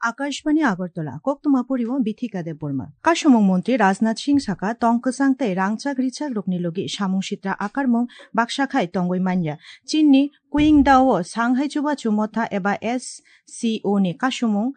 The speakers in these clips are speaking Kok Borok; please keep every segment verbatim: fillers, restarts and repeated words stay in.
Akashbani Agartala, koktwma pori o Bithika Debbarma. Kasumung montri Rajnath Singh saka, tong kwchang tei rangchak richak rokni logi samung sitra akarmung baksa khai tongwi manya. Chinni Qingdao o Shanghai Chubachu Motha eba S C O ni kasumung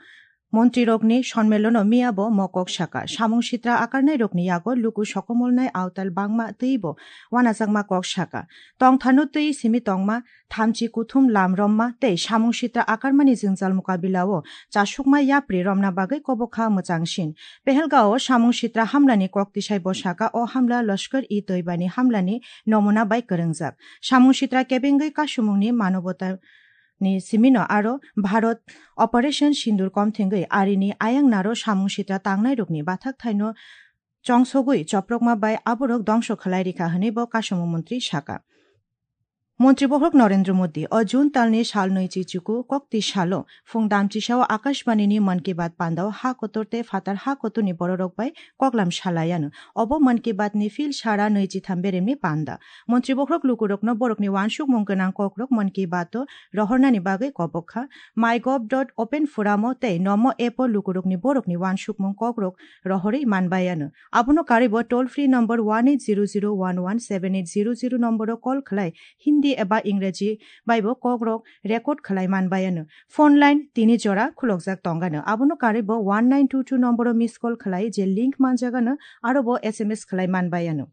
montrirokni sonmelono miya bo mokok saka. Samung sitra akarnairokni yago luku sokomolnai awtal bangma twibo wanajakma kok saka. Tongthano twi simi tongma thamchi kuthum lam romma tei samung sitra akarmani jwngjal mukabila o chasukma yapri romna bagwi kobokha mwchangsin. Pehelgao samung sitra hamlani kok tisai bo saka, o hamla Lashkar-e-Toiba ni hamlani nomuna bai kwrwngjak. Samung sitra kebengwi kasumungni manobota ni simino aro Bharat Operation Sindoor komthengwi arini ayang naro samung sitra tangnairokni bathak thaino chongsogwi choprokma bai aborok dongso khlai rikha hwnwi bo kasumung montri saka. Montri bohrok Narendra Modi o June talni sal nwichi chuku kokti salo phung damchisao Akashbani ni Mann Ki Baat pandao ha kotor tei phatar ha kotorni bororok bai koklam salaiano. Obo Mann Ki Baat ni phil sara nwichi tham beremni panda. Montri bohrok lukurokno borokni wansukmung gwnang kokrok Mann Ki Baat o rohornani bagwi kobok kha. MyGov dot open forum o tei Namo app o lukurokni borokni wansukmung kokrok rohorwi manbaiano. Abono karwi bo toll free number one eight zero zero one one seven eight zero zero number o call khlai Hindi eba Ingreji bai bo kokrok record khlai manbaiano. Phone line tini jora khulokjak tongano. Abono karwi bo one nine two two number o miss call khlai je link manjagano aro bo S M S khlai manbaiano.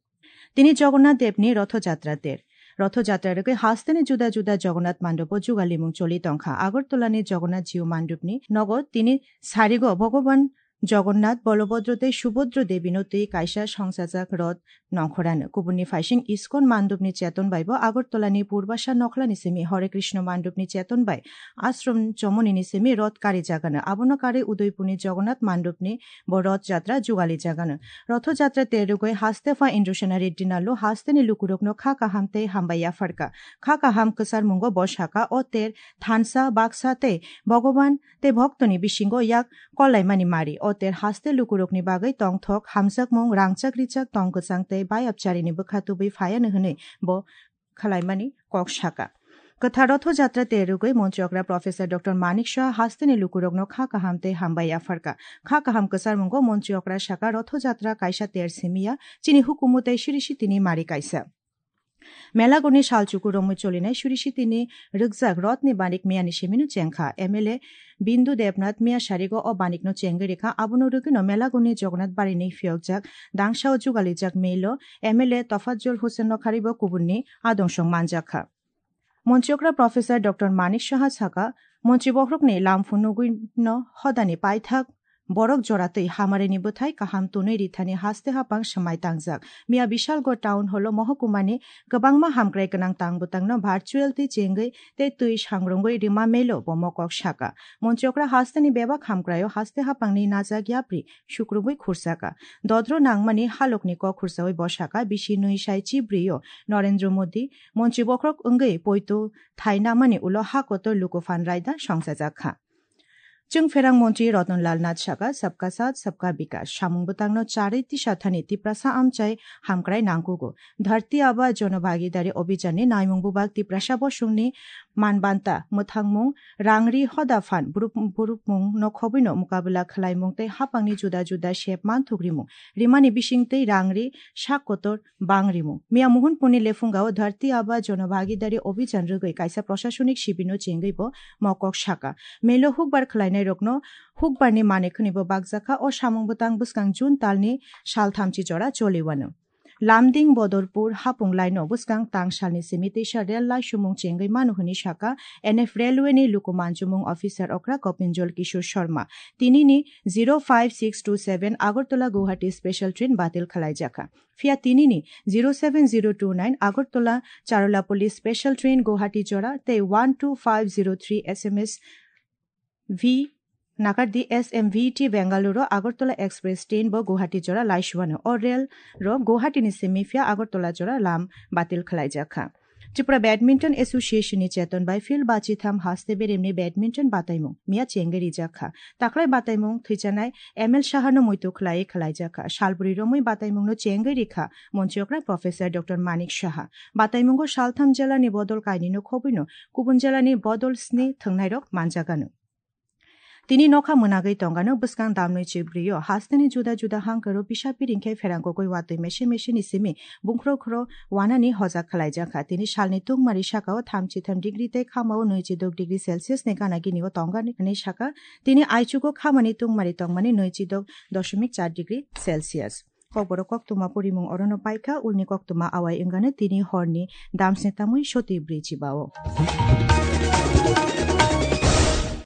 Tini Jagannath Devni Rotho Jatra ter. Rotho Jatra rwgwi hasteni juda juda Jagannath mandobo jugalimung choli tongkha. Agartalani Jagannath Jiu mandopni nogo tini sarigo Bhogoban Jagannath, Bolobhodro tei Subhodro Devino twi kaisa songsajak roth nongkhorano. Kubunni phaising ISKCON mandopni cheton bai bo Agartalani Purbasa nokhlani simi Hare Krishna mandopni cheton bai Ashram Chomoni ni simi roth karijagano. Abono karwi Udaipurni Jagannath mandopni bo roth jatra jugalijagano. Rotho Jatra terugwi haste pha Indrasena Reddy Nallu hasteni lukurokno kha kaham tei hambai yapharkha. Kha kaham kwcharmungo bo saka, o ter thansa, baksa tei Bhogoban tei bhoktoni bisingo yak kollaimani mari. O ter haste lukurokni bagwi tongthok, hamjakmung, rangchak richak, tong kwchang tei bayapcharini bwkha tubui phaiano hwnwi bo khwlaimani kok saka. Kwthar Rotho Jatra terugwi Montri okra Professor Doctor Manik Saha hasteni lukurokno kha kaham tei hambai yapharkha. Kha kaham kwcharmungo Montri okra saka, Rotho Jatra kaisa ter simiya, chini hukumu tei siri sitini mari kaisa. Melagoni salchuku romwi cholinai suri sitini rwkjak rothni banik miyani simino chengkha. M L A Bindu Debnath miya sarigo o banikno chengwi rikha. Abono rwgwino Melagoni Jagannath barini phiyokjak dangsao jugalijak melo M L A Tofazul Hussain no kharibo kubunni adungsong manjakha. Montri okra Professor Doctor Manik Saha saka, Montri bohrokni lam phunugwino hodani paithak borok jora twi hamarini bwthai kaham tunwi rithani haste hapang swmai tangjak. Miya Bishalgarh Town Hall o mohokumani kwbangma hamkrai gwnang tang bwtangno virtual twi chengwi tei twi sangrungwi rima melo bo mokok saka. Montri okra hasteni bebak hamkraio haste hapangni najak yapri sukrubwi khursaka. Dodro nangmani halokni kok khursawi bo saka, bisi nwi sai chibrio Narendra Modi Montri bohrok wngwi poito thai namani ulo ha kotor luku phan raida songchajakha. Chwngpherang montri Ratan Lal Nath saka, "Sabka Saath, Sabka Vikas." Samung bwtangno charwi tisa thani Tiprasa amchai hamkrai nangkugo. Dharti Aaba Janabhagidari Abhiyan ni naimung bubak Tiprasa bosongni manbanta, mwthangmung, rangri hoda phan, burup-, burupmung no khobwino mukabla khwlaimung tei hapangni juda juda sep manthuk rimung. Rimani bising tei rangri sak kotor bang rimung. Miya Mohonpurni lephungao Dharti Aaba Janabhagidari Abhiyan rwgwi kaisa prashasonik sibirno chengwi bo mokok saka. Melo hukbar khwlainairokno hukbarni manwi khwnibo bakjakha. O samung bwtang bwskang June talni sal thamchi jora choliwano. Lumding Bodorpur hapung laino bwskang tang salni simi teisa rel laisumung chengwi mano hwnwi saka N F Railway ni luku manjumung officer okra Gopinjal Kishore Sharma. Tinini zero five six two seven Agartala Guwahati special train batil khwlaijakha. Phiya tinini zero seven zero two nine Agartala Charulapalli special train Guwahati jora tei one two five zero three S M S V nakardi S M V T Bengaluru Agartala Express train bo Guwahati jora laisuano. O rel ro Guwahati ni simi phiya Agartala jora lam batil khwlaijakha. Tripura Badminton Association ni cheton bai field bachitham haste beremni badminton bataimung miya chengwi rijakha. Taklai bataimung thwijanai M L Sahano muitu khwlaiwi khwlaijakha. Salbri romwi bataimungno chengwi rikha Montri okra Professor Doctor Manik Saha. Bataimungo saltham jelani bodol kainwino khobwino kubun jelani bodol sni thwngnairok manjagano. Tini nokha mwnagwi tongano bwskang damnwi chibrio hasteni juda juda hangkaro pisa piring khe pherang kogwi watwi mese mese ni simi bungkhro khro wanani hojak khlaijakha. Tini salni tungmari sakao thamchi tham degree tei khamao nwichi dok degree Celsius ni gana gini o tongani sakha. Tini aichugo khamani tungmari tongmani nwichi dok doshomik char degree Celsius. Kokborok koktwma porimung orono paikha, ulni koktwma awai wngano tini horni damsni tamwi soti bri chibao.